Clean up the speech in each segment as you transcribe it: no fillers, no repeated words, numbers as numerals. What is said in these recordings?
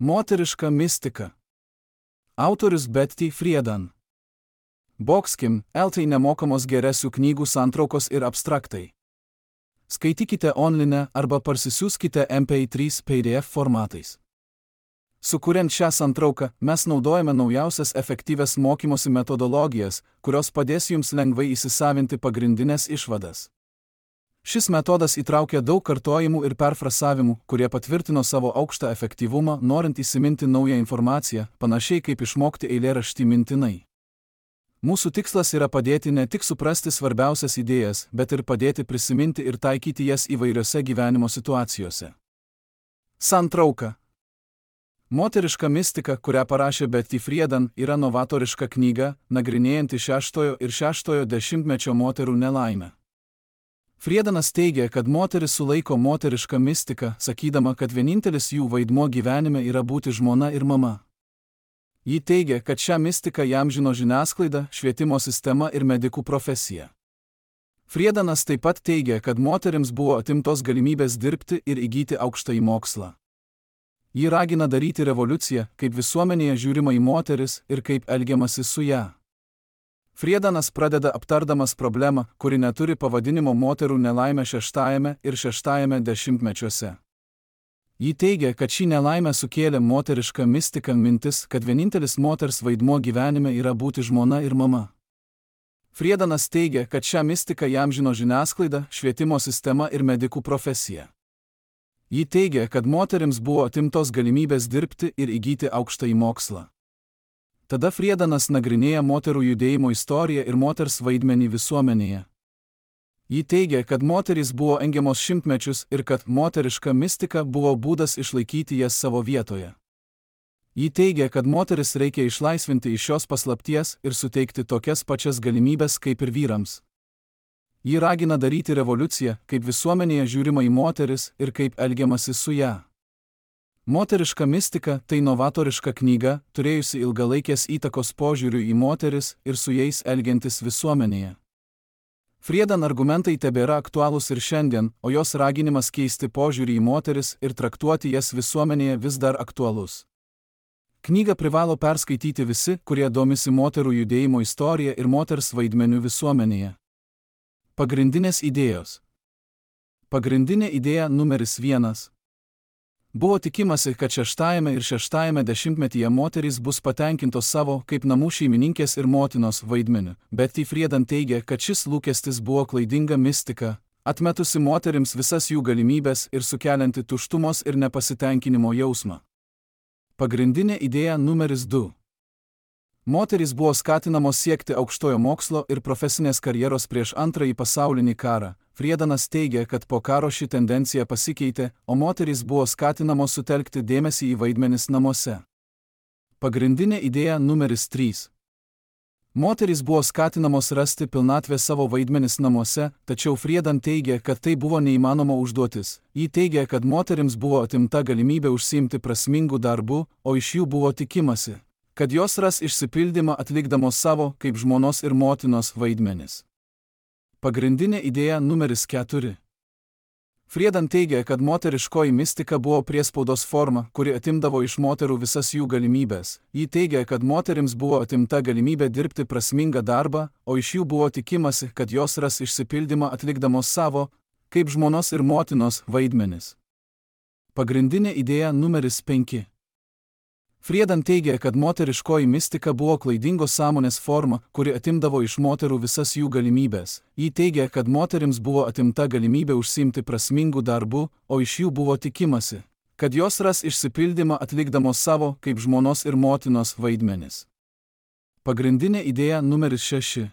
Moteriška mistika. Autorius Betty Friedan. Boxkim, LT nemokamos geresių knygų santraukos ir abstraktai. Skaitykite online arba parsisiųskite MP3 PDF formatais. Sukuriant šią santrauką, mes naudojame naujausias efektyvias mokymosi metodologijas, kurios padės jums lengvai įsisavinti pagrindinės išvadas. Šis metodas įtraukia daug kartojimų ir perfrasavimų, kurie patvirtino savo aukštą efektyvumą, norint įsiminti naują informaciją, panašiai kaip išmokti eilėraštį mintinai. Mūsų tikslas yra padėti ne tik suprasti svarbiausias idėjas, bet ir padėti prisiminti ir taikyti jas įvairiose gyvenimo situacijose. Santrauka. Moteriška mistika, kurią parašė Betty Friedan, yra novatoriška knyga, nagrinėjanti 6 ir 6 dešimtmečio moterų nelaimę. Friedanas teigia, kad moteris sulaiko moterišką mistiką, sakydama, kad vienintelis jų vaidmuo gyvenime yra būti žmona ir mama. Ji teigia, kad šią mistiką įamžino žiniasklaida, švietimo sistema ir medikų profesija. Friedanas taip pat teigia, kad moterims buvo atimtos galimybės dirbti ir įgyti aukštąjį mokslą. Ji ragina daryti revoliuciją, kaip visuomenėje žiūrima į moteris ir kaip elgiamasi su ją. Friedanas pradeda aptardamas problemą, kuri neturi pavadinimo moterų nelaimė 6 ir 6 dešimtmečiuose. Ji teigia, kad šį nelaimę sukėlė moteriška mistika mintis, kad vienintelis moters vaidmuo gyvenime yra būti žmona ir mama. Friedanas teigia, kad šią mistiką įamžino žiniasklaida, švietimo sistema ir medikų profesija. Ji teigia, kad moterims buvo atimtos galimybės dirbti ir įgyti aukštąjį mokslą. Tada Friedanas nagrinėja moterų judėjimo istoriją ir moters vaidmenį visuomenėje. Ji teigia, kad moterys buvo engiamos šimtmečius ir kad moteriška mistika buvo būdas išlaikyti jas savo vietoje. Ji teigia, kad moteris reikia išlaisvinti iš šios paslapties ir suteikti tokias pačias galimybės kaip ir vyrams. Ji ragina daryti revoliuciją, kaip visuomenėje žiūrima į moteris ir kaip elgiamasi su ją. Moteriška mistika – tai novatoriška knyga, turėjusi ilgalaikės įtakos požiūrių į moteris ir su jais elgiantis visuomenėje. Friedan argumentai tebėra aktualūs ir šiandien, o jos raginimas keisti požiūrį į moteris ir traktuoti jas visuomenėje vis dar aktualus. Knygą privalo perskaityti visi, kurie domisi moterų judėjimo istorija ir moters vaidmeniu visuomenėje. Pagrindinės idėjos. Pagrindinė idėja numeris 1. Buvo tikimasi, kad 6 ir 6 dešimtmetyje moterys bus patenkintos savo kaip namų šeimininkės ir motinos vaidmeniu. Betty Friedan teigia, kad šis lūkestis buvo klaidinga mistika, atmetusi moterims visas jų galimybės ir sukelianti tuštumos ir nepasitenkinimo jausmą. Pagrindinė idėja numeris 2. Moterys buvo skatinamos siekti aukštojo mokslo ir profesinės karjeros prieš Antrąjį pasaulinį karą. Friedanas teigia, kad po karo ši tendencija pasikeitė, o moterys buvo skatinamos sutelkti dėmesį į vaidmenis namuose. Pagrindinė idėja numeris 3. Moterys buvo skatinamos rasti pilnatvę savo vaidmenis namuose, tačiau Friedan teigia, kad tai buvo neįmanoma užduotis. Ji teigia, kad moterims buvo atimta galimybė užsiimti prasmingų darbų, o iš jų buvo tikimasi, kad jos ras išsipildymą atlikdamos savo kaip žmonos ir motinos vaidmenis. Pagrindinė idėja numeris 4. Friedan teigia, kad moteriškoji mistika buvo priespaudos forma, kuri atimdavo iš moterų visas jų galimybės. Ji teigia, kad moterims buvo atimta galimybė dirbti prasmingą darbą, o iš jų buvo tikimasi, kad jos ras išsipildymą atlikdamos savo kaip žmonos ir motinos vaidmenis. Pagrindinė idėja numeris 5. Friedan teigia, kad moteriškoji mistika buvo klaidingos sąmonės forma, kuri atimdavo iš moterų visas jų galimybės. Ji teigia, kad moterims buvo atimta galimybė užsiimti prasmingų darbų, o iš jų buvo tikimasi, kad jos ras išsipildymą atlikdamos savo kaip žmonos ir motinos vaidmenis. Pagrindinė idėja numeris 6.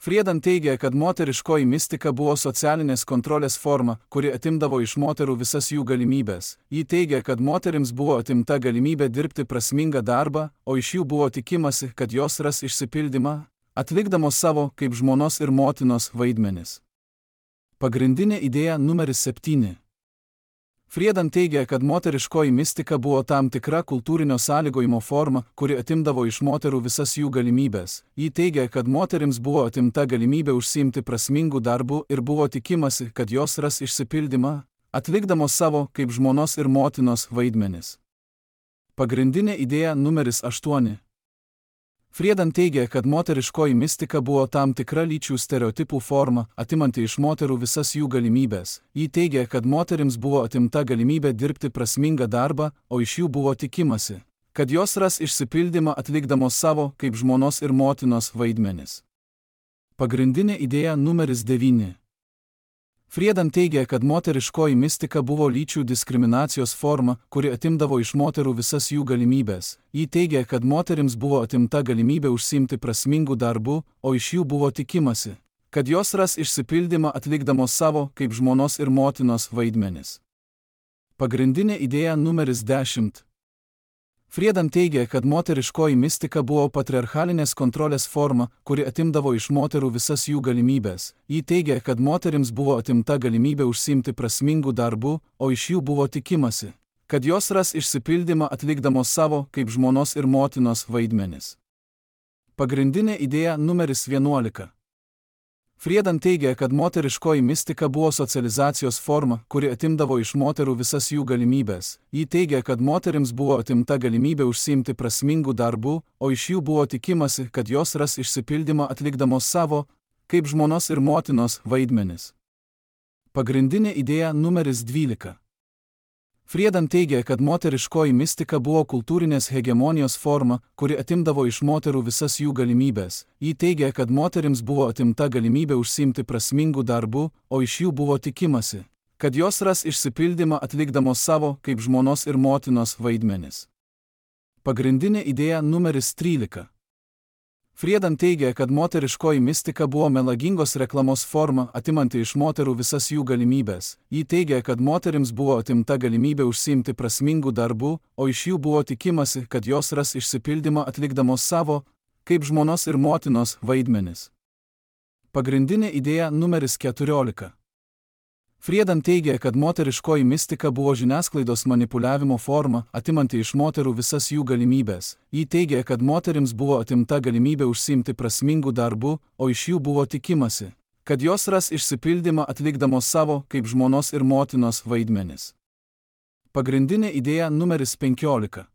Friedan teigia, kad moteriškoji mistika buvo socialinės kontrolės forma, kuri atimdavo iš moterų visas jų galimybės. Ji teigia, kad moterims buvo atimta galimybė dirbti prasmingą darbą, o iš jų buvo tikimasi, kad jos ras išsipildymą, atlikdamos savo kaip žmonos ir motinos vaidmenis. Pagrindinė idėja numeris 7. Friedan teigia, kad moteriškoji mistika buvo tam tikra kultūrinio sąlygojimo forma, kuri atimdavo iš moterų visas jų galimybės. Ji teigia, kad moterims buvo atimta galimybė užsiimti prasmingų darbų ir buvo tikimasi, kad jos ras išsipildymą, atlikdamos savo kaip žmonos ir motinos vaidmenis. Pagrindinė idėja numeris 8. Friedan teigia, kad moteriškoji mistika buvo tam tikra lyčių stereotipų forma, atimanti iš moterų visas jų galimybės. Ji teigia, kad moterims buvo atimta galimybė dirbti prasmingą darbą, o iš jų buvo tikimasi, kad jos ras išsipildymą atlikdamos savo, kaip žmonos ir motinos, vaidmenis. Pagrindinė idėja numeris 9. Friedan teigia, kad moteriškoji mistika buvo lyčių diskriminacijos forma, kuri atimdavo iš moterų visas jų galimybės. Ji teigia, kad moterims buvo atimta galimybė užsiimti prasmingų darbų, o iš jų buvo tikimasi, kad jos ras išsipildymą atlikdamos savo, kaip žmonos ir motinos, vaidmenis. Pagrindinė idėja numeris 10. Friedan teigia, kad moteriškoji mistika buvo patriarchalinės kontrolės forma, kuri atimdavo iš moterų visas jų galimybės. Ji teigia, kad moterims buvo atimta galimybė užsiimti prasmingų darbų, o iš jų buvo tikimasi, kad jos ras išsipildymą atlikdamos savo, kaip žmonos ir motinos, vaidmenis. Pagrindinė idėja numeris 11. Friedan teigia, kad moteriškoji mistika buvo socializacijos forma, kuri atimdavo iš moterų visas jų galimybės. Ji teigia, kad moterims buvo atimta galimybė užsiimti prasmingų darbų, o iš jų buvo tikimasi, kad jos ras išsipildymą atlikdamos savo, kaip žmonos ir motinos, vaidmenis. Pagrindinė idėja numeris 12. Friedan teigia, kad moteriškoji mistika buvo kultūrinės hegemonijos forma, kuri atimdavo iš moterų visas jų galimybės. Ji teigia, kad moterims buvo atimta galimybė užsiimti prasmingų darbų, o iš jų buvo tikimasi, kad jos ras išsipildymą atlikdamos savo, kaip žmonos ir motinos, vaidmenis. Pagrindinė idėja numeris 13. Friedan teigia, kad moteriškoji mistika buvo melagingos reklamos forma, atimanti iš moterų visas jų galimybės. Ji teigia, kad moterims buvo atimta galimybė užsiimti prasmingų darbų, o iš jų buvo tikimasi, kad jos ras išsipildymą atlikdamos savo, kaip žmonos ir motinos, vaidmenis. Pagrindinė idėja numeris 14. Friedan teigia, kad moteriškoji mistika buvo žiniasklaidos manipuliavimo forma, atimanti iš moterų visas jų galimybės. Ji teigia, kad moterims buvo atimta galimybė užsiimti prasmingų darbų, o iš jų buvo tikimasi, kad jos ras išsipildymą atlikdamos savo, kaip žmonos ir motinos, vaidmenis. Pagrindinė idėja numeris 15.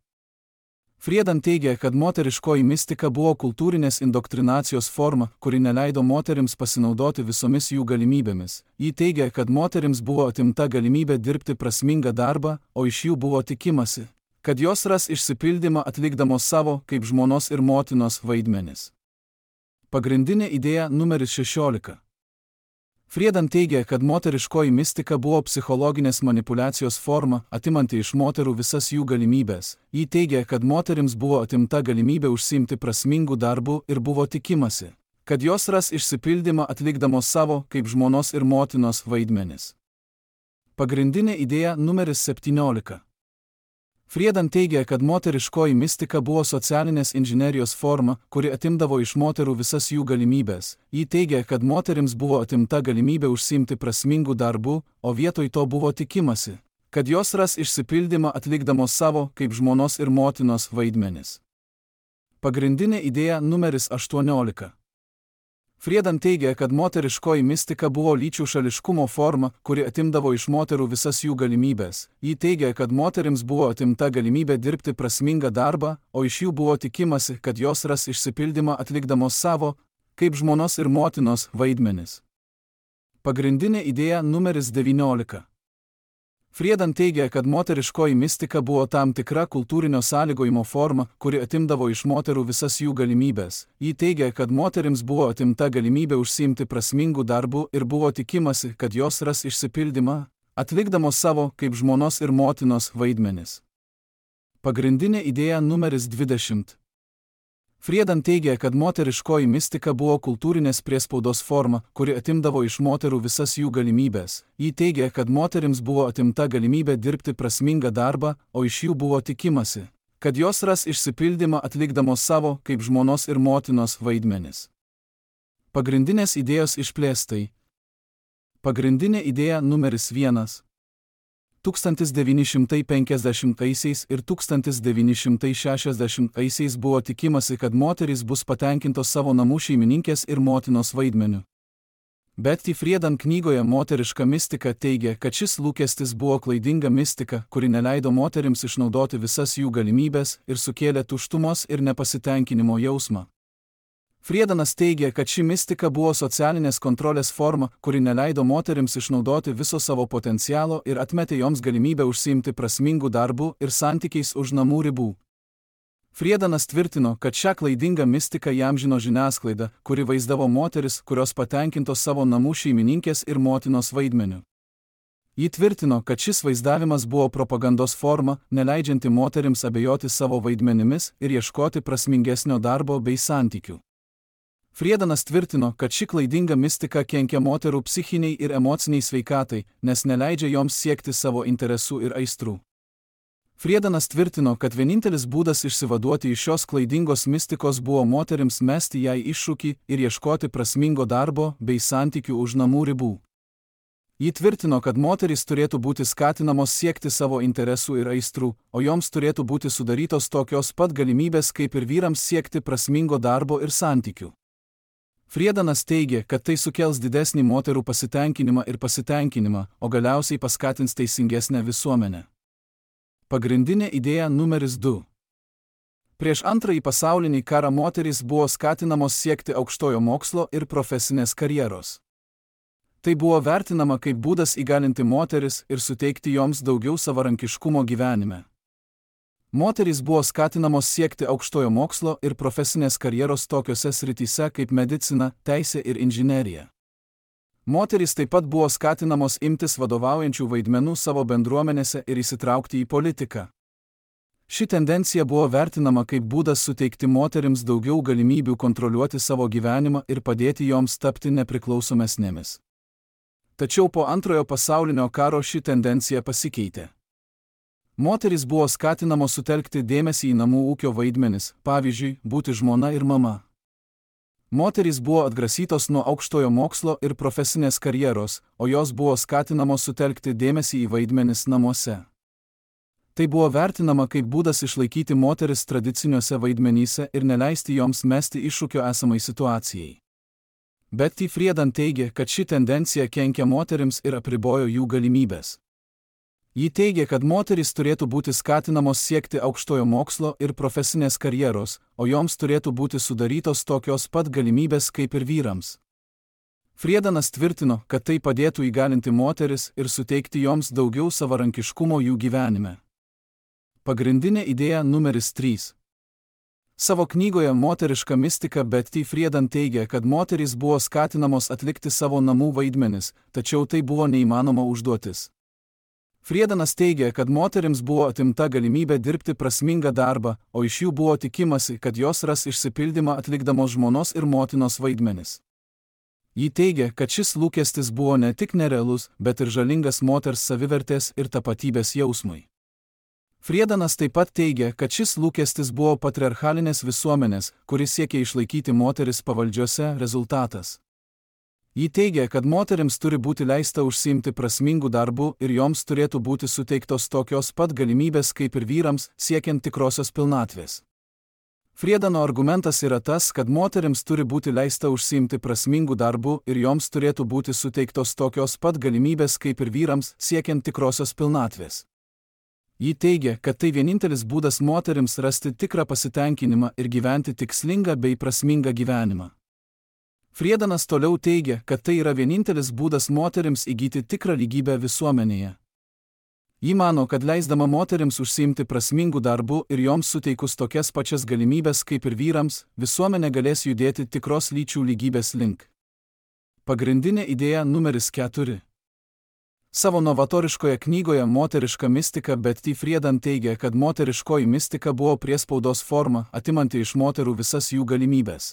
Friedan teigia, kad moteriškoji mistika buvo kultūrinės indoktrinacijos forma, kuri neleido moterims pasinaudoti visomis jų galimybėmis. Ji teigia, kad moterims buvo atimta galimybė dirbti prasmingą darbą, o iš jų buvo tikimasi, kad jos ras išsipildymą atlikdamos savo, kaip žmonos ir motinos, vaidmenis. Pagrindinė idėja numeris 16. Friedan teigia, kad moteriškoji mistika buvo psichologinės manipulacijos forma, atimanti iš moterų visas jų galimybės. Ji teigia, kad moterims buvo atimta galimybė užsiimti prasmingų darbų ir buvo tikimasi, kad jos ras išsipildymą atlikdamos savo, kaip žmonos ir motinos, vaidmenis. Pagrindinė idėja numeris 17. Friedan teigia, kad moteriškoji mistika buvo socialinės inžinerijos forma, kuri atimdavo iš moterų visas jų galimybės. Ji teigia, kad moterims buvo atimta galimybė užsiimti prasmingų darbų, o vietoj to buvo tikimasi, kad jos ras išsipildymą atlikdamos savo, kaip žmonos ir motinos, vaidmenis. Pagrindinė idėja numeris 18. Friedan teigia, kad moteriškoji mistika buvo lyčių šališkumo forma, kuri atimdavo iš moterų visas jų galimybės. Ji teigia, kad moterims buvo atimta galimybė dirbti prasmingą darbą, o iš jų buvo tikimasi, kad jos ras išsipildymą atlikdamos savo, kaip žmonos ir motinos, vaidmenis. Pagrindinė idėja numeris 19. Friedan teigia, kad moteriškoji mistika buvo tam tikra kultūrinio sąlygojimo forma, kuri atimdavo iš moterų visas jų galimybės. Ji teigia, kad moterims buvo atimta galimybė užsiimti prasmingų darbų ir buvo tikimasi, kad jos ras išsipildymą, atlikdamos savo, kaip žmonos ir motinos, vaidmenis. Pagrindinė idėja numeris 20. Friedan teigia, kad moteriškoji mistika buvo kultūrinės priespaudos forma, kuri atimdavo iš moterų visas jų galimybės. Ji teigia, kad moterims buvo atimta galimybė dirbti prasmingą darbą, o iš jų buvo tikimasi, kad jos ras išsipildymą atlikdamos savo, kaip žmonos ir motinos, vaidmenis. Pagrindinės idėjos išplėstai. Pagrindinė idėja numeris 1. 1950 ir 1960 buvo tikimasi, kad moterys bus patenkintos savo namų šeimininkės ir motinos vaidmeniu. Betty Friedan knygoje Moteriška mistika teigia, kad šis lūkestis buvo klaidinga mistika, kuri neleido moterims išnaudoti visas jų galimybės ir sukėlė tuštumos ir nepasitenkinimo jausmą. Friedanas teigia, kad ši mistika buvo socialinės kontrolės forma, kuri neleido moterims išnaudoti viso savo potencialo ir atmetė joms galimybę užsiimti prasmingų darbų ir santykiais už namų ribų. Friedanas tvirtino, kad šią klaidingą mistiką įamžino žiniasklaida, kuri vaizdavo moteris, kurios patenkintos savo namų šeimininkės ir motinos vaidmeniu. Ji tvirtino, kad šis vaizdavimas buvo propagandos forma, neleidžianti moterims abejoti savo vaidmenimis ir ieškoti prasmingesnio darbo bei santykių. Friedanas tvirtino, kad ši klaidinga mistika kenkia moterų psichiniai ir emociniai sveikatai, nes neleidžia joms siekti savo interesų ir aistrų. Friedanas tvirtino, kad vienintelis būdas išsivaduoti iš šios klaidingos mistikos buvo moterims mesti jai iššūkį ir ieškoti prasmingo darbo bei santykių už namų ribų. Ji tvirtino, kad moterys turėtų būti skatinamos siekti savo interesų ir aistrų, o joms turėtų būti sudarytos tokios pat galimybės kaip ir vyrams siekti prasmingo darbo ir santykių. Friedanas teigia, kad tai sukels didesnį moterų pasitenkinimą, o galiausiai paskatins teisingesnę visuomenę. Pagrindinė idėja numeris 2. Prieš Antrąjį pasaulinį karą moterys buvo skatinamos siekti aukštojo mokslo ir profesinės karjeros. Tai buvo vertinama kaip būdas įgalinti moteris ir suteikti joms daugiau savarankiškumo gyvenime. Moterys buvo skatinamos siekti aukštojo mokslo ir profesinės karjeros tokiose srityse kaip medicina, teisė ir inžinerija. Moterys taip pat buvo skatinamos imtis vadovaujančių vaidmenų savo bendruomenėse ir įsitraukti į politiką. Ši tendencija buvo vertinama kaip būdas suteikti moterims daugiau galimybių kontroliuoti savo gyvenimą ir padėti joms tapti nepriklausomesnėmis. Tačiau po Antrojo pasaulinio karo ši tendencija pasikeitė. Moterys buvo skatinamos sutelkti dėmesį į namų ūkio vaidmenis, pavyzdžiui, būti žmona ir mama. Moterys buvo atgrasytos nuo aukštojo mokslo ir profesinės karjeros, o jos buvo skatinamos sutelkti dėmesį į vaidmenis namuose. Tai buvo vertinama kaip būdas išlaikyti moteris tradiciniuose vaidmenyse ir neleisti joms mesti iššūkio esamai situacijai. Betty Friedan teigia, kad ši tendencija kenkia moterims ir apribojo jų galimybės. Ji teigia, kad moterys turėtų būti skatinamos siekti aukštojo mokslo ir profesinės karjeros, o joms turėtų būti sudarytos tokios pat galimybės kaip ir vyrams. Friedanas tvirtino, kad tai padėtų įgalinti moteris ir suteikti joms daugiau savarankiškumo jų gyvenime. Pagrindinė idėja numeris 3. Savo knygoje Moteriška mistika Betty Friedan teigia, kad moterys buvo skatinamos atlikti savo namų vaidmenis, tačiau tai buvo neįmanoma užduotis. Friedanas teigia, kad moterims buvo atimta galimybė dirbti prasmingą darbą, o iš jų buvo tikimasi, kad jos ras išsipildymą atlikdamos žmonos ir motinos vaidmenis. Ji teigia, kad šis lūkestis buvo ne tik nerealus, bet ir žalingas moters savivertės ir tapatybės jausmui. Friedanas taip pat teigia, kad šis lūkestis buvo patriarchalinės visuomenės, kuris siekia išlaikyti moteris pavaldžiose, rezultatas. Ji teigia, kad moterims turi būti leista užsiimti prasmingų darbų ir joms turėtų būti suteiktos tokios pat galimybės kaip ir vyrams, siekiant tikrosios pilnatvės. Friedano argumentas yra tas, kad moterims turi būti leista užsiimti prasmingų darbų ir joms turėtų būti suteiktos tokios pat galimybės kaip ir vyrams, siekiant tikrosios pilnatvės. Ji teigia, kad tai vienintelis būdas moterims rasti tikrą pasitenkinimą ir gyventi tikslingą bei prasmingą gyvenimą. Friedanas toliau teigia, kad tai yra vienintelis būdas moterims įgyti tikrą lygybę visuomenėje. Ji mano, kad leisdama moterims užsiimti prasmingų darbų ir joms suteikus tokias pačias galimybės kaip ir vyrams, visuomenė galės judėti tikros lyčių lygybės link. Pagrindinė idėja numeris 4. Savo novatoriškoje knygoje Moteriška mistika Betty Friedan teigia, kad moteriškoji mistika buvo priespaudos forma, atimanti iš moterų visas jų galimybės.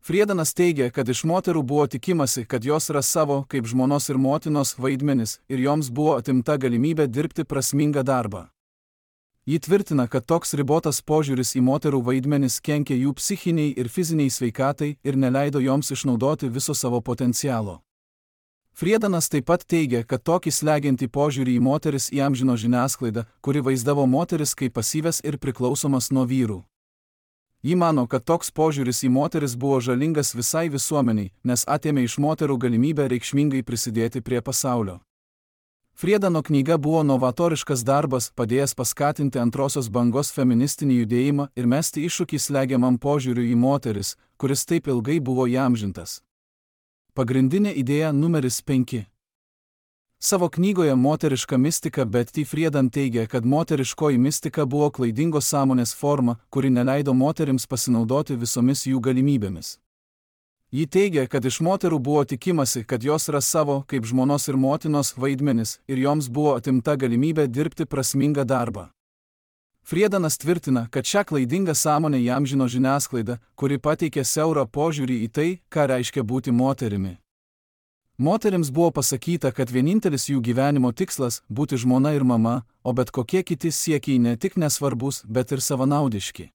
Friedanas teigia, kad iš moterų buvo tikimasi, kad jos ras savo, kaip žmonos ir motinos, vaidmenis ir joms buvo atimta galimybė dirbti prasmingą darbą. Ji tvirtina, kad toks ribotas požiūris į moterų vaidmenis kenkia jų psichiniai ir fiziniai sveikatai ir neleido joms išnaudoti viso savo potencialo. Friedanas taip pat teigia, kad tokį slegiantį požiūrį į moteris įamžino žiniasklaida, kuri vaizdavo moteris kaip pasyvias ir priklausomas nuo vyrų. Ji mano, kad toks požiūris į moteris buvo žalingas visai visuomeniai, nes atėmė iš moterų galimybę reikšmingai prisidėti prie pasaulio. Friedano knyga buvo novatoriškas darbas, padėjęs paskatinti antrosios bangos feministinį judėjimą ir mesti iššūkį slegiamam požiūriui į moteris, kuris taip ilgai buvo įamžintas. Pagrindinė idėja numeris 5. Savo knygoje Moteriška mistika Betty Friedan teigia, kad moteriškoji mistika buvo klaidingos sąmonės forma, kuri neleido moterims pasinaudoti visomis jų galimybėmis. Ji teigia, kad iš moterų buvo tikimasi, kad jos ras savo, kaip žmonos ir motinos, vaidmenis, ir joms buvo atimta galimybė dirbti prasmingą darbą. Friedanas tvirtina, kad šią klaidingą sąmonę įamžino žiniasklaida, kuri pateikė siaurą požiūrį į tai, ką reiškia būti moterimi. Moterims buvo pasakyta, kad vienintelis jų gyvenimo tikslas – būti žmona ir mama, o bet kokie kiti siekiai ne tik nesvarbus, bet ir savanaudiški.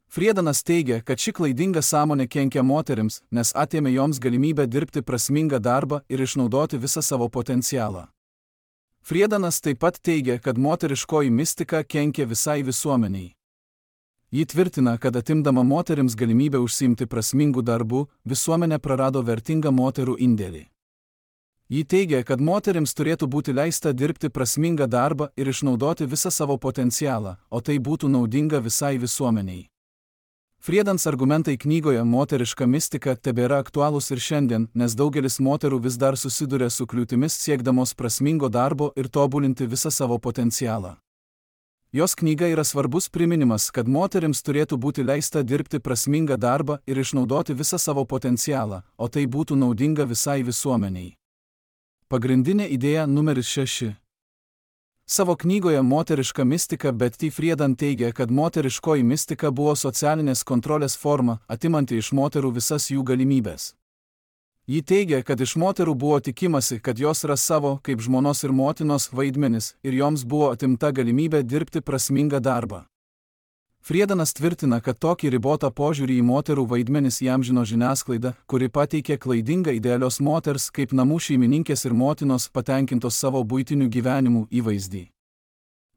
Friedanas teigia, kad ši klaidinga sąmonė kenkia moterims, nes atėmė joms galimybę dirbti prasmingą darbą ir išnaudoti visą savo potencialą. Friedanas taip pat teigia, kad moteriškoji mistika kenkia visai visuomeniai. Ji tvirtina, kad atimdama moterims galimybę užsiimti prasmingų darbų, visuomenė prarado vertingą moterų indėlį. Ji teigia, kad moterims turėtų būti leista dirbti prasmingą darbą ir išnaudoti visą savo potencialą, o tai būtų naudinga visai visuomeniai. Friedans argumentai knygoje Moteriška mistika tebėra aktualūs ir šiandien, nes daugelis moterų vis dar susiduria su kliūtimis siekdamos prasmingo darbo ir tobulinti visą savo potencialą. Jos knyga yra svarbus priminimas, kad moterims turėtų būti leista dirbti prasmingą darbą ir išnaudoti visą savo potencialą, o tai būtų naudinga visai visuomeniai. Pagrindinė idėja numeris 6. Savo knygoje Moteriška mistika Betty Friedan teigia, kad moteriškoji mistika buvo socialinės kontrolės forma, atimanti iš moterų visas jų galimybės. Ji teigia, kad iš moterų buvo tikimasi, kad jos ras savo, kaip žmonos ir motinos, vaidmenis, ir joms buvo atimta galimybė dirbti prasmingą darbą. Friedanas tvirtina, kad tokį ribotą požiūrį į moterų vaidmenis įamžino žiniasklaida, kuri pateikė klaidingą idealios moters kaip namų šeimininkės ir motinos patenkintos savo buitinių gyvenimų įvaizdį.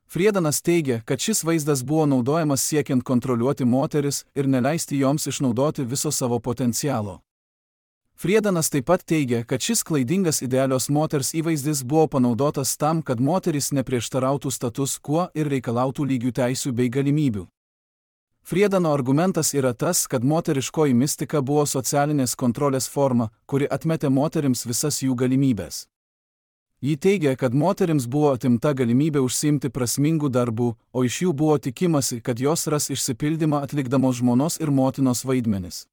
Friedanas teigia, kad šis vaizdas buvo naudojamas siekiant kontroliuoti moteris ir neleisti joms išnaudoti viso savo potencialo. Friedanas taip pat teigia, kad šis klaidingas idealios moters įvaizdis buvo panaudotas tam, kad moterys neprieštarautų status quo ir reikalautų lygių teisių bei galimybių. Friedano argumentas yra tas, kad moteriškoji mistika buvo socialinės kontrolės forma, kuri atmetė moterims visas jų galimybės. Ji teigia, kad moterims buvo atimta galimybė užsiimti prasmingų darbų, o iš jų buvo tikimasi, kad jos ras išsipildymą atlikdamos žmonos ir motinos vaidmenis.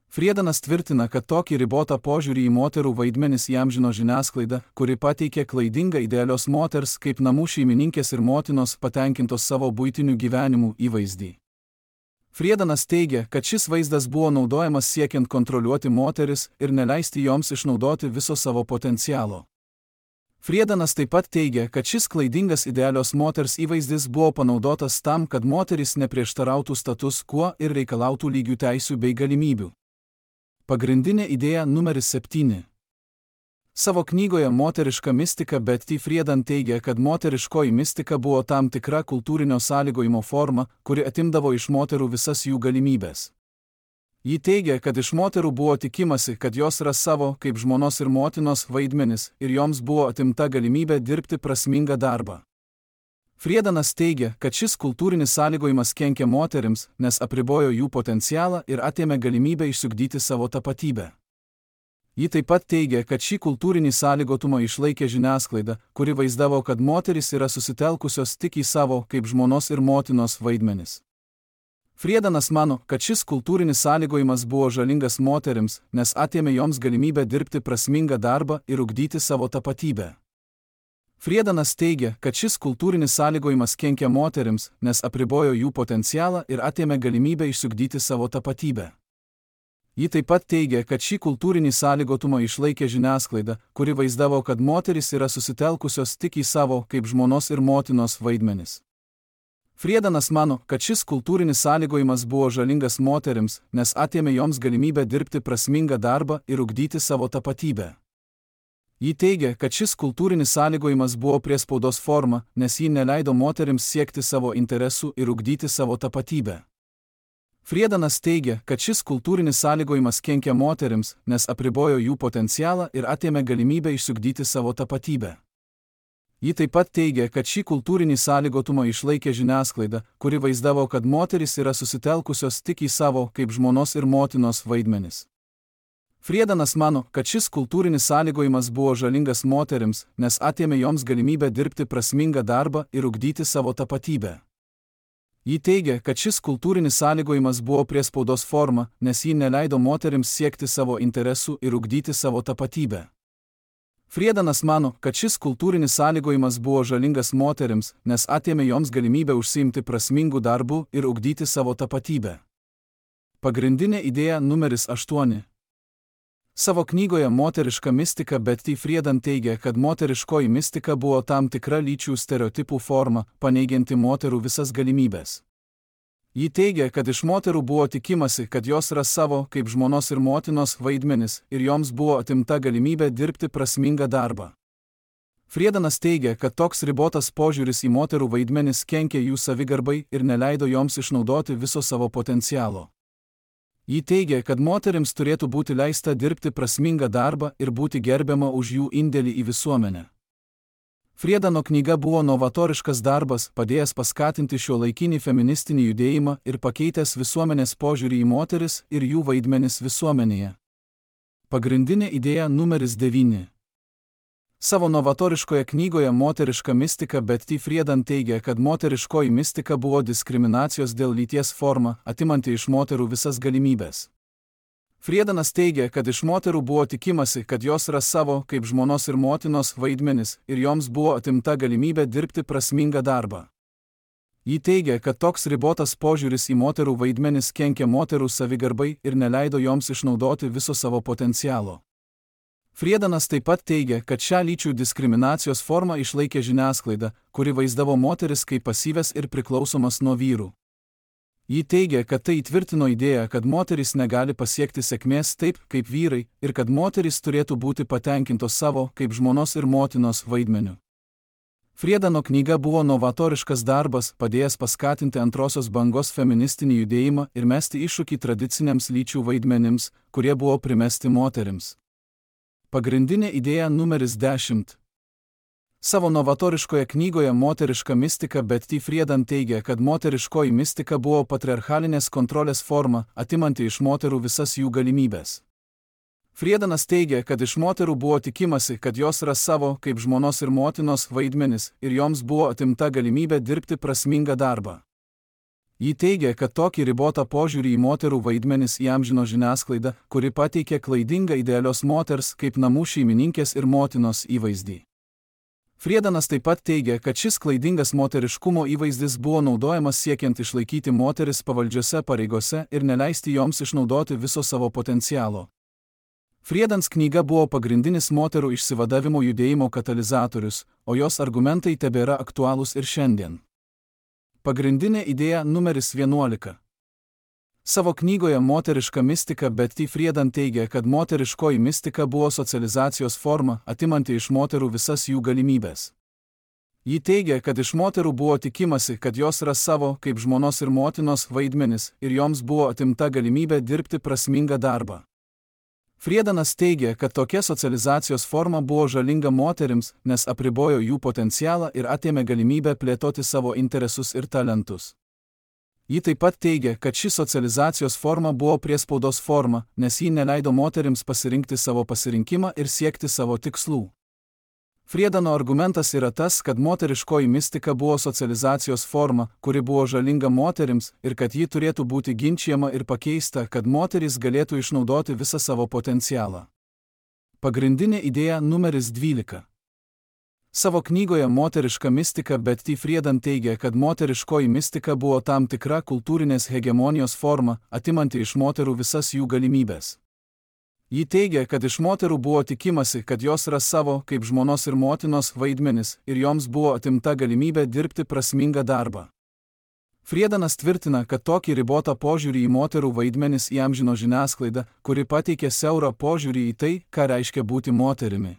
Friedanas tvirtina, kad tokį ribotą požiūrį į moterų vaidmenis įamžino žiniasklaida, kuri pateikė klaidingą idealios moters kaip namų šeimininkės ir motinos patenkintos savo buitinių gyvenimų įvaizdį. Friedanas teigia, kad šis vaizdas buvo naudojamas siekiant kontroliuoti moteris ir neleisti joms išnaudoti viso savo potencialo. Friedanas taip pat teigia, kad šis klaidingas idealios moters įvaizdis buvo panaudotas tam, kad moterys neprieštarautų status quo ir reikalautų lygių teisių bei galimybių. Pagrindinė idėja numeris 7. Savo knygoje Moteriška mistika Betty Friedan teigia, kad moteriškoji mistika buvo tam tikra kultūrinio sąlygojimo forma, kuri atimdavo iš moterų visas jų galimybės. Ji teigia, kad iš moterų buvo tikimasi, kad jos ras savo, kaip žmonos ir motinos, vaidmenis, ir joms buvo atimta galimybė dirbti prasmingą darbą. Friedanas teigia, kad šis kultūrinis sąlygojimas kenkia moterims, nes apribojo jų potencialą ir atėmė galimybę išsiugdyti savo tapatybę. Ji taip pat teigia, kad šį kultūrinį sąlygotumą išlaikė žiniasklaida, kuri vaizdavo, kad moterys yra susitelkusios tik į savo, kaip žmonos ir motinos, vaidmenis. Friedanas mano, kad šis kultūrinis sąlygojimas buvo žalingas moterims, nes atėmė joms galimybę dirbti prasmingą darbą ir ugdyti savo tapatybę. Friedanas teigia, kad šis kultūrinis sąlygojimas kenkia moterims, nes apribojo jų potencialą ir atėmė galimybę išsiugdyti savo tapatybę. Ji taip pat teigia, kad šį kultūrinį sąlygotumą išlaikė žiniasklaida, kuri vaizdavo, kad moterys yra susitelkusios tik į savo, kaip žmonos ir motinos, vaidmenis. Friedanas mano, kad šis kultūrinis sąlygojimas buvo žalingas moterims, nes atėmė joms galimybę dirbti prasmingą darbą ir ugdyti savo tapatybę. Ji teigia, kad šis kultūrinis sąlygojimas buvo priespaudos forma, nes ji neleido moterims siekti savo interesų ir ugdyti savo tapatybę. Friedanas teigia, kad šis kultūrinis sąlygojimas kenkia moterims, nes apribojo jų potencialą ir atėmė galimybę išsiugdyti savo tapatybę. Ji taip pat teigia, kad šį kultūrinį sąlygotumą išlaikė žiniasklaida, kuri vaizdavo, kad moterys yra susitelkusios tik į savo, kaip žmonos ir motinos vaidmenis. Friedanas mano, kad šis kultūrinis sąlygojimas buvo žalingas moterims, nes atėmė joms galimybę dirbti prasmingą darbą ir ugdyti savo tapatybę. Ji teigia, kad šis kultūrinis sąlygojimas buvo priespaudos forma, nes ji neleido moterims siekti savo interesų ir ugdyti savo tapatybę. Friedanas mano, kad šis kultūrinis sąlygojimas buvo žalingas moterims, nes atėmė joms galimybę užsiimti prasmingų darbų ir ugdyti savo tapatybę. Pagrindinė idėja numeris 8. Savo knygoje Moteriška mistika Betty Friedan teigia, kad moteriškoji mistika buvo tam tikra lyčių stereotipų forma, paneigianti moterų visas galimybės. Ji teigia, kad iš moterų buvo tikimasi, kad jos ras savo, kaip žmonos ir motinos vaidmenis, ir joms buvo atimta galimybė dirbti prasmingą darbą. Friedanas teigia, kad toks ribotas požiūris į moterų vaidmenis kenkė jų savigarbai ir neleido joms išnaudoti viso savo potencialo. Ji teigia, kad moterims turėtų būti leista dirbti prasmingą darbą ir būti gerbiama už jų indėlį į visuomenę. Friedano knyga buvo novatoriškas darbas, padėjęs paskatinti šiuolaikinį feministinį judėjimą ir pakeitęs visuomenės požiūrį į moteris ir jų vaidmenis visuomenėje. Pagrindinė idėja numeris 9. Savo novatoriškoje knygoje Moteriška mistika Betty Friedan teigia, kad moteriškoji mistika buvo diskriminacijos dėl lyties forma, atimanti iš moterų visas galimybės. Friedanas teigia, kad iš moterų buvo tikimasi, kad jos ras savo, kaip žmonos ir motinos vaidmenis, ir joms buvo atimta galimybė dirbti prasmingą darbą. Ji teigia, kad toks ribotas požiūris į moterų vaidmenis kenkia moterų savigarbai ir neleido joms išnaudoti viso savo potencialo. Friedanas taip pat teigia, kad šią lyčių diskriminacijos formą išlaikė žiniasklaida, kuri vaizdavo moteris kaip pasyves ir priklausomas nuo vyrų. Ji teigia, kad tai įtvirtino idėją, kad moterys negali pasiekti sėkmės taip, kaip vyrai, ir kad moterys turėtų būti patenkintos savo, kaip žmonos ir motinos vaidmeniu. Friedano knyga buvo novatoriškas darbas, padėjęs paskatinti antrosios bangos feministinį judėjimą ir mesti iššūkį tradiciniams lyčių vaidmenims, kurie buvo primesti moterims. Pagrindinė idėja numeris 10. Savo novatoriškoje knygoje Moteriška mistika Betty Friedan teigia, kad moteriškoji mistika buvo patriarchalinės kontrolės forma, atimanti iš moterų visas jų galimybės. Friedanas teigia, kad iš moterų buvo tikimasi, kad jos ras savo, kaip žmonos ir motinos vaidmenis, ir joms buvo atimta galimybė dirbti prasmingą darbą. Ji teigia, kad tokį ribotą požiūrį į moterų vaidmenis įamžino žiniasklaida, kuri pateikė klaidingą idealios moters kaip namų šeimininkės ir motinos įvaizdį. Friedanas taip pat teigia, kad šis klaidingas moteriškumo įvaizdis buvo naudojamas siekiant išlaikyti moteris pavaldžiose pareigose ir neleisti joms išnaudoti viso savo potencialo. Friedans knyga buvo pagrindinis moterų išsivadavimo judėjimo katalizatorius, o jos argumentai tebėra aktualūs ir šiandien. Pagrindinė idėja numeris 11. Savo knygoje Moteriška mistika Betty Friedan teigia, kad moteriškoji mistika buvo socializacijos forma, atimanti iš moterų visas jų galimybės. Ji teigia, kad iš moterų buvo tikimasi, kad jos ras savo, kaip žmonos ir motinos vaidmenis, ir joms buvo atimta galimybė dirbti prasmingą darbą. Friedanas teigia, kad tokia socializacijos forma buvo žalinga moterims, nes apribojo jų potencialą ir atėmė galimybę plėtoti savo interesus ir talentus. Ji taip pat teigia, kad ši socializacijos forma buvo priespaudos forma, nes ji neleido moterims pasirinkti savo pasirinkimą ir siekti savo tikslų. Friedano argumentas yra tas, kad moteriškoji mistika buvo socializacijos forma, kuri buvo žalinga moterims ir kad ji turėtų būti ginčijama ir pakeista, kad moterys galėtų išnaudoti visą savo potencialą. Pagrindinė idėja numeris 12. Savo knygoje Moteriška mistika Betty Friedan teigia, kad moteriškoji mistika buvo tam tikra kultūrinės hegemonijos forma, atimanti iš moterų visas jų galimybės. Ji teigia, kad iš moterų buvo tikimasi, kad jos ras savo, kaip žmonos ir motinos vaidmenis, ir joms buvo atimta galimybė dirbti prasmingą darbą. Friedanas tvirtina, kad tokį ribotą požiūrį į moterų vaidmenis įamžino žiniasklaida, kuri pateikė siaurą požiūrį į tai, ką reiškia būti moterimi.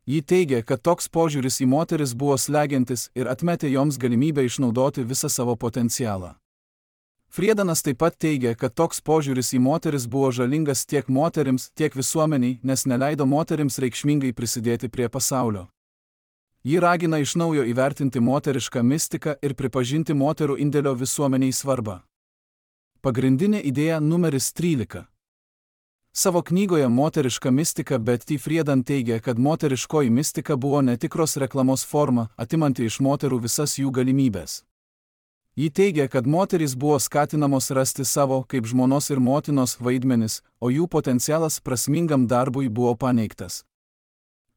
Ji teigia, kad toks požiūris į moteris buvo slegiantis ir atmetė joms galimybę išnaudoti visą savo potencialą. Friedanas taip pat teigia, kad toks požiūris į moteris buvo žalingas tiek moterims, tiek visuomeniai, nes neleido moterims reikšmingai prisidėti prie pasaulio. Ji ragina iš naujo įvertinti moterišką mistiką ir pripažinti moterų indėlio visuomeniai svarbą. Pagrindinė idėja numeris 13. Savo knygoje Moteriška mistika Betty Friedan teigia, kad moteriškoji mistika buvo netikros reklamos forma, atimanti iš moterų visas jų galimybės. Ji teigia, kad moterys buvo skatinamos rasti savo, kaip žmonos ir motinos, vaidmenis, o jų potencialas prasmingam darbui buvo paneigtas.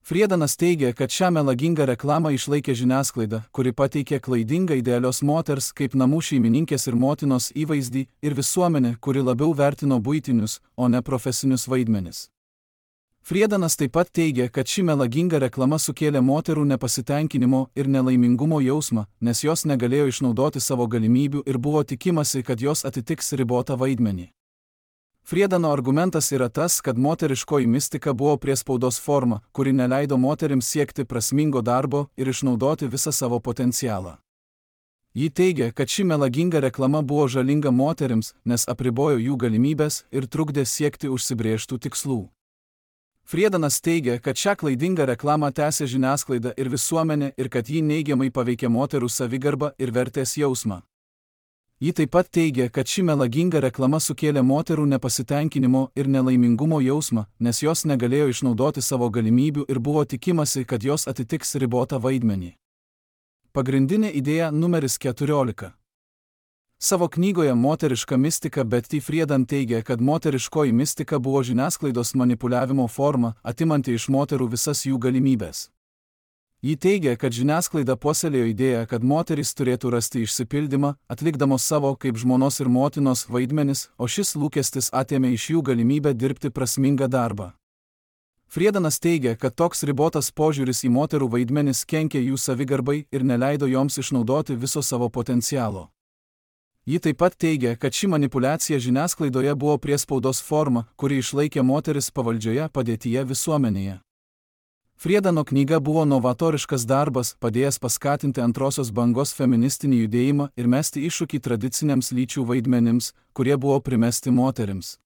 Friedanas teigia, kad šią melagingą reklamą išlaikė žiniasklaida, kuri pateikė klaidingą idealios moters kaip namų šeimininkės ir motinos įvaizdį, ir visuomenė, kuri labiau vertino buitinius, o ne profesinius vaidmenis. Friedanas taip pat teigia, kad ši melaginga reklama sukėlė moterų nepasitenkinimo ir nelaimingumo jausmą, nes jos negalėjo išnaudoti savo galimybių ir buvo tikimasi, kad jos atitiks ribotą vaidmenį. Friedano argumentas yra tas, kad moteriškoji mistika buvo priespaudos forma, kuri neleido moterims siekti prasmingo darbo ir išnaudoti visą savo potencialą. Ji teigia, kad ši melaginga reklama buvo žalinga moterims, nes apribojo jų galimybės ir trukdė siekti užsibrėžtų tikslų. Friedanas teigia, kad šią klaidingą reklamą tęsė žiniasklaida ir visuomenė ir kad ji neigiamai paveikė moterų savigarbą ir vertės jausmą. Ji taip pat teigia, kad ši melaginga reklama sukėlė moterų nepasitenkinimo ir nelaimingumo jausmą, nes jos negalėjo išnaudoti savo galimybių ir buvo tikimasi, kad jos atitiks ribotą vaidmenį. Pagrindinė idėja numeris 14. Savo knygoje Moteriška mistika Betty Friedan teigia, kad moteriškoji mistika buvo žiniasklaidos manipuliavimo forma, atimanti iš moterų visas jų galimybės. Ji teigia, kad žiniasklaida puoselėjo idėją, kad moterys turėtų rasti išsipildymą, atlikdamos savo kaip žmonos ir motinos vaidmenis, o šis lūkestis atėmė iš jų galimybę dirbti prasmingą darbą. Friedanas teigia, kad toks ribotas požiūris į moterų vaidmenis kenkė jų savigarbai ir neleido joms išnaudoti viso savo potencialo. Ji taip pat teigia, kad ši manipuliacija žiniasklaidoje buvo priespaudos forma, kuri išlaikė moteris pavaldžioje padėtyje visuomenėje. Friedano knyga buvo novatoriškas darbas, padėjęs paskatinti antrosios bangos feministinį judėjimą ir mesti iššūkį tradiciniams lyčių vaidmenims, kurie buvo primesti moterims.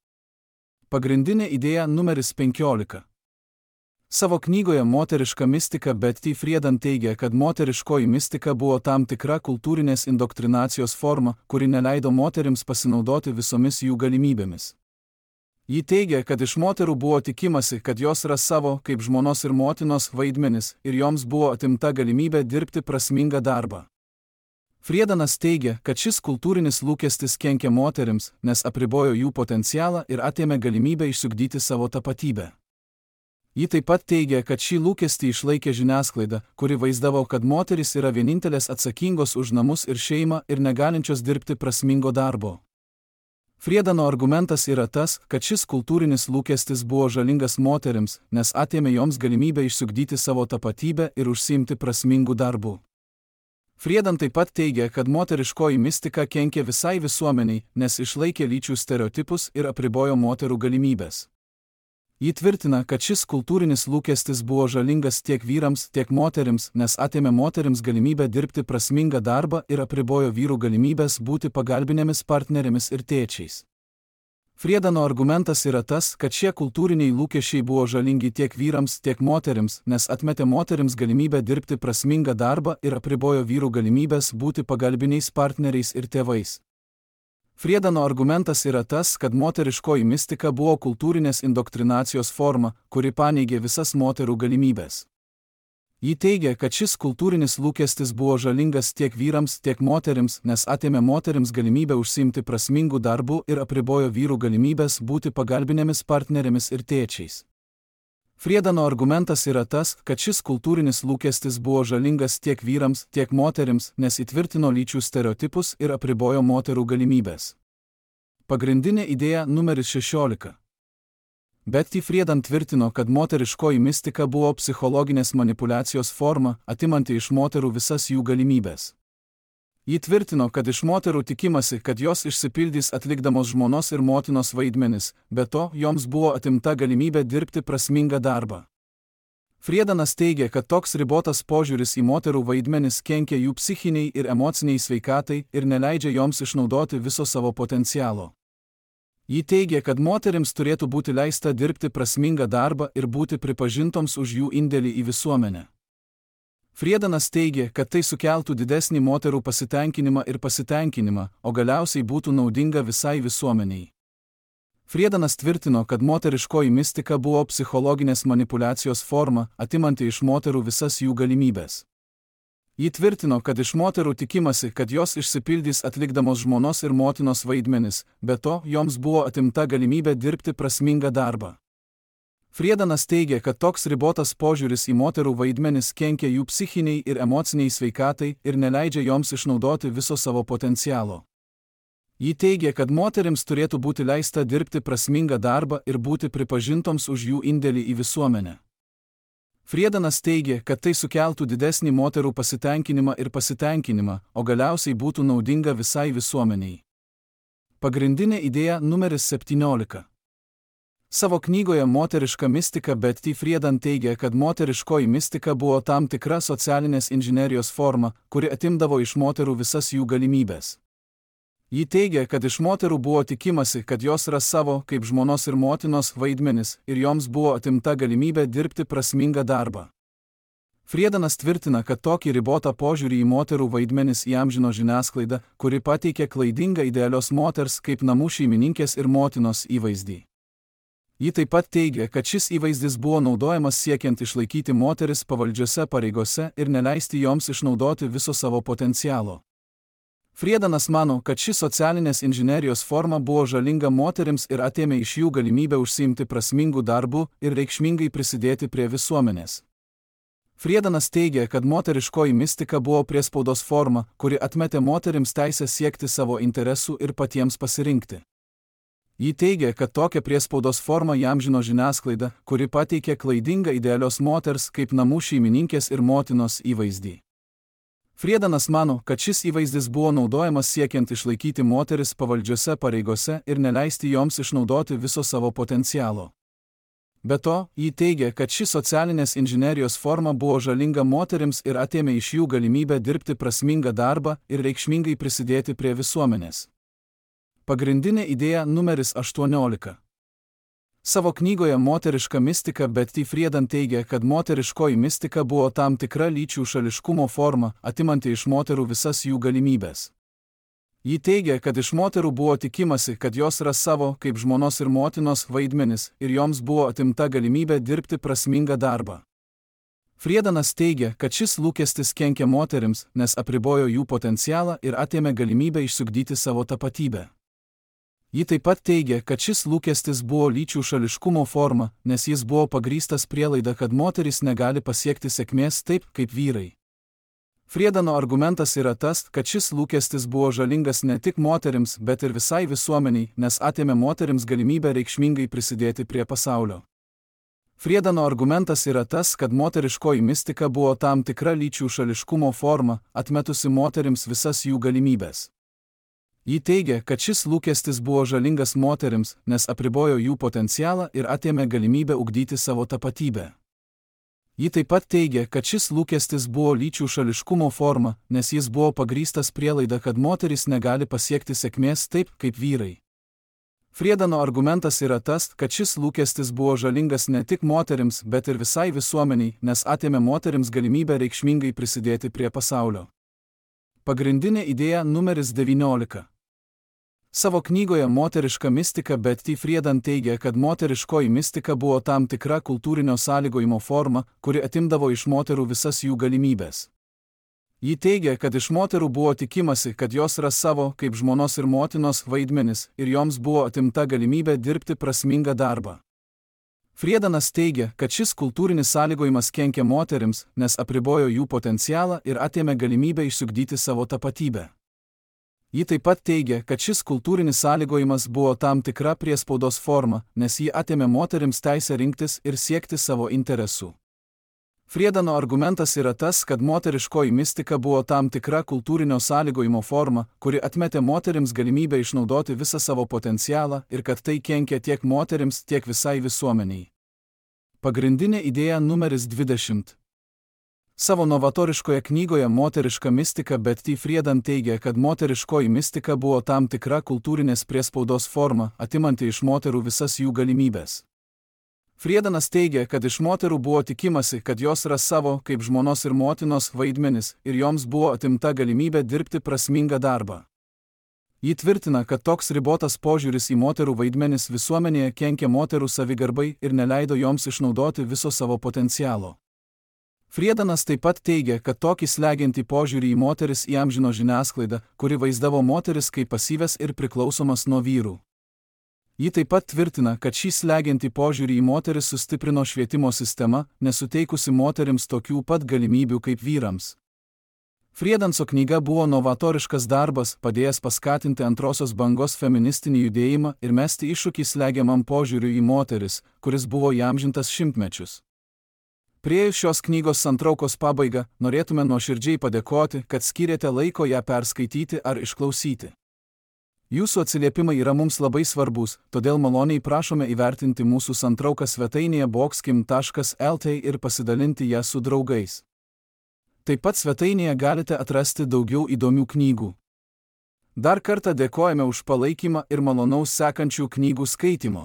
Pagrindinė idėja numeris 15. Savo knygoje Moteriška mistika Betty Friedan teigia, kad moteriškoji mistika buvo tam tikra kultūrinės indoktrinacijos forma, kuri neleido moterims pasinaudoti visomis jų galimybėmis. Ji teigia, kad iš moterų buvo tikimasi, kad jos ras savo kaip žmonos ir motinos vaidmenis ir joms buvo atimta galimybė dirbti prasmingą darbą. Friedanas teigia, kad šis kultūrinis lūkestis kenkė moterims, nes apribojo jų potencialą ir atėmė galimybę išsiugdyti savo tapatybę. Ji taip pat teigia, kad šį lūkestį išlaikė žiniasklaida, kuri vaizdavo, kad moterys yra vienintelės atsakingos už namus ir šeimą ir negalinčios dirbti prasmingo darbo. Friedano argumentas yra tas, kad šis kultūrinis lūkestis buvo žalingas moterims, nes atėmė joms galimybę išsiugdyti savo tapatybę ir užsiimti prasmingų darbų. Friedan taip pat teigia, kad moteriškoji mistika kenkė visai visuomeniai, nes išlaikė lyčių stereotipus ir apribojo moterų galimybės. Ji tvirtina, kad šis kultūrinis lūkestis buvo žalingas tiek vyrams, tiek moterims, nes atėmė moterims galimybę dirbti prasmingą darbą ir apribojo vyrų galimybės būti pagalbinėmis partnerėmis ir tėčiais. Friedano argumentas yra tas, kad šie kultūriniai lūkesčiai buvo žalingi tiek vyrams, tiek moterims, nes atmetė moterims galimybę dirbti prasmingą darbą ir apribojo vyrų galimybės būti pagalbiniais partneriais ir tėvais. Friedano argumentas yra tas, kad moteriškoji mistika buvo kultūrinės indoktrinacijos forma, kuri paneigė visas moterų galimybės. Ji teigia, kad šis kultūrinis lūkestis buvo žalingas tiek vyrams, tiek moterims, nes atėmė moterims galimybę užsiimti prasmingų darbų ir apribojo vyrų galimybės būti pagalbinėmis partnerėmis ir tėčiais. Friedano argumentas yra tas, kad šis kultūrinis lūkestis buvo žalingas tiek vyrams, tiek moterims, nes įtvirtino lyčių stereotipus ir apribojo moterų galimybės. Pagrindinė idėja numeris 16. Betty Friedan tvirtino, kad moteriškoji mistika buvo psichologinės manipuliacijos forma, atimanti iš moterų visas jų galimybės. Ji tvirtino, kad iš moterų tikimasi, kad jos išsipildys atlikdamos žmonos ir motinos vaidmenis, be to joms buvo atimta galimybė dirbti prasmingą darbą. Friedanas teigia, kad toks ribotas požiūris į moterų vaidmenis kenkia jų psichiniai ir emociniai sveikatai ir neleidžia joms išnaudoti viso savo potencialo. Ji teigia, kad moterims turėtų būti leista dirbti prasmingą darbą ir būti pripažintoms už jų indėlį į visuomenę. Friedanas teigia, kad tai sukeltų didesnį moterų pasitenkinimą, o galiausiai būtų naudinga visai visuomeniai. Friedanas tvirtino, kad moteriškoji mistika buvo psichologinės manipulacijos forma, atimanti iš moterų visas jų galimybės. Ji tvirtino, kad iš moterų tikimasi, kad jos išsipildys atlikdamos žmonos ir motinos vaidmenis, be to joms buvo atimta galimybė dirbti prasmingą darbą. Friedanas teigia, kad toks ribotas požiūris į moterų vaidmenis kenkia jų psichiniai ir emociniai sveikatai ir neleidžia joms išnaudoti viso savo potencialo. Ji teigia, kad moterims turėtų būti leista dirbti prasmingą darbą ir būti pripažintoms už jų indėlį į visuomenę. Friedanas teigia, kad tai sukeltų didesnį moterų pasitenkinimą, o galiausiai būtų naudinga visai visuomeniai. Pagrindinė idėja numeris 17. Savo knygoje Moteriška mistika Betty Friedan teigia, kad moteriškoji mistika buvo tam tikra socialinės inžinerijos forma, kuri atimdavo iš moterų visas jų galimybės. Ji teigia, kad iš moterų buvo tikimasi, kad jos ras savo, kaip žmonos ir motinos, vaidmenis ir joms buvo atimta galimybė dirbti prasmingą darbą. Friedanas tvirtina, kad tokį ribotą požiūrį į moterų vaidmenis įamžino žiniasklaida, kuri pateikė klaidingą idealios moters kaip namų šeimininkės ir motinos įvaizdį. Ji taip pat teigia, kad šis įvaizdis buvo naudojamas siekiant išlaikyti moteris pavaldžiose pareigose ir neleisti joms išnaudoti viso savo potencialo. Friedanas mano, kad ši socialinės inžinerijos forma buvo žalinga moterims ir atėmė iš jų galimybę užsiimti prasmingų darbų ir reikšmingai prisidėti prie visuomenės. Friedanas teigia, kad moteriškoji mistika buvo priespaudos forma, kuri atmetė moterims teisę siekti savo interesų ir patiems pasirinkti. Ji teigia, kad tokią priespaudos formą įamžino žiniasklaida, kuri pateikė klaidingą idealios moters kaip namų šeimininkės ir motinos įvaizdį. Friedanas mano, kad šis įvaizdis buvo naudojamas siekiant išlaikyti moteris pavaldžiose pareigose ir neleisti joms išnaudoti viso savo potencialo. Be to, ji teigia, kad ši socialinės inžinerijos forma buvo žalinga moterims ir atėmė iš jų galimybę dirbti prasmingą darbą ir reikšmingai prisidėti prie visuomenės. Pagrindinė idėja numeris 18. Savo knygoje Moteriška mistika Betty Friedan teigia, kad moteriškoji mistika buvo tam tikra lyčių šališkumo forma, atimanti iš moterų visas jų galimybės. Ji teigia, kad iš moterų buvo tikimasi, kad jos ras savo, kaip žmonos ir motinos, vaidmenis ir joms buvo atimta galimybė dirbti prasmingą darbą. Friedanas teigia, kad šis lūkestis kenkia moterims, nes apribojo jų potencialą ir atėmė galimybę išsiugdyti savo tapatybę. Ji taip pat teigia, kad šis lūkestis buvo lyčių šališkumo forma, nes jis buvo pagrįstas prielaida, kad moterys negali pasiekti sėkmės taip, kaip vyrai. Friedano argumentas yra tas, kad šis lūkestis buvo žalingas ne tik moterims, bet ir visai visuomeniai, nes atėmė moterims galimybę reikšmingai prisidėti prie pasaulio. Friedano argumentas yra tas, kad moteriškoji mistika buvo tam tikra lyčių šališkumo forma, atmetusi moterims visas jų galimybės. Ji teigia, kad šis lūkestis buvo žalingas moterims, nes apribojo jų potencialą ir atėmė galimybę ugdyti savo tapatybę. Ji taip pat teigia, kad šis lūkestis buvo lyčių šališkumo forma, nes jis buvo pagrįstas prielaida, kad moterys negali pasiekti sėkmės taip, kaip vyrai. Friedano argumentas yra tas, kad šis lūkestis buvo žalingas ne tik moterims, bet ir visai visuomeniai, nes atėmė moterims galimybę reikšmingai prisidėti prie pasaulio. Pagrindinė idėja numeris 19. Savo knygoje Moteriška mistika Betty Friedan teigia, kad moteriškoji mistika buvo tam tikra kultūrinio sąlygojimo forma, kuri atimdavo iš moterų visas jų galimybės. Ji teigia, kad iš moterų buvo tikimasi, kad jos ras savo, kaip žmonos ir motinos, vaidmenis ir joms buvo atimta galimybė dirbti prasmingą darbą. Friedanas teigia, kad šis kultūrinis sąlygojimas kenkia moterims, nes apribojo jų potencialą ir atėmė galimybę išsiugdyti savo tapatybę. Ji taip pat teigia, kad šis kultūrinis sąlygojimas buvo tam tikra priespaudos forma, nes ji atėmė moterims teisę rinktis ir siekti savo interesų. Friedano argumentas yra tas, kad moteriškoji mistika buvo tam tikra kultūrinio sąlygojimo forma, kuri atmetė moterims galimybę išnaudoti visą savo potencialą ir kad tai kenkia tiek moterims, tiek visai visuomeniai. Pagrindinė idėja numeris 20. Savo novatoriškoje knygoje Moteriška mistika Betty Friedan teigia, kad moteriškoji mistika buvo tam tikra kultūrinės priespaudos forma, atimanti iš moterų visas jų galimybės. Friedanas teigia, kad iš moterų buvo tikimasi, kad jos ras savo, kaip žmonos ir motinos, vaidmenis, ir joms buvo atimta galimybė dirbti prasmingą darbą. Ji tvirtina, kad toks ribotas požiūris į moterų vaidmenis visuomenėje kenkė moterų savigarbai ir neleido joms išnaudoti viso savo potencialo. Friedanas taip pat teigia, kad tokį slegiantį požiūrį į moteris įamžino žiniasklaida, kuri vaizdavo moteris kaip pasyvias ir priklausomas nuo vyrų. Ji taip pat tvirtina, kad šį slegiantį požiūrį į moteris sustiprino švietimo sistema, nesuteikusi moterims tokių pat galimybių kaip vyrams. Friedanso knyga buvo novatoriškas darbas, padėjęs paskatinti antrosios bangos feministinį judėjimą ir mesti iššūkį slegiamam požiūriui į moteris, kuris buvo įamžintas šimtmečius. Priėjus šios knygos santraukos pabaigą, norėtume nuoširdžiai padėkoti, kad skyrėte laiko ją perskaityti ar išklausyti. Jūsų atsiliepimai yra mums labai svarbus, todėl maloniai prašome įvertinti mūsų santrauką svetainėje boxkim.lt ir pasidalinti ją su draugais. Taip pat svetainėje galite atrasti daugiau įdomių knygų. Dar kartą dėkojame už palaikymą ir malonaus sekančių knygų skaitimo.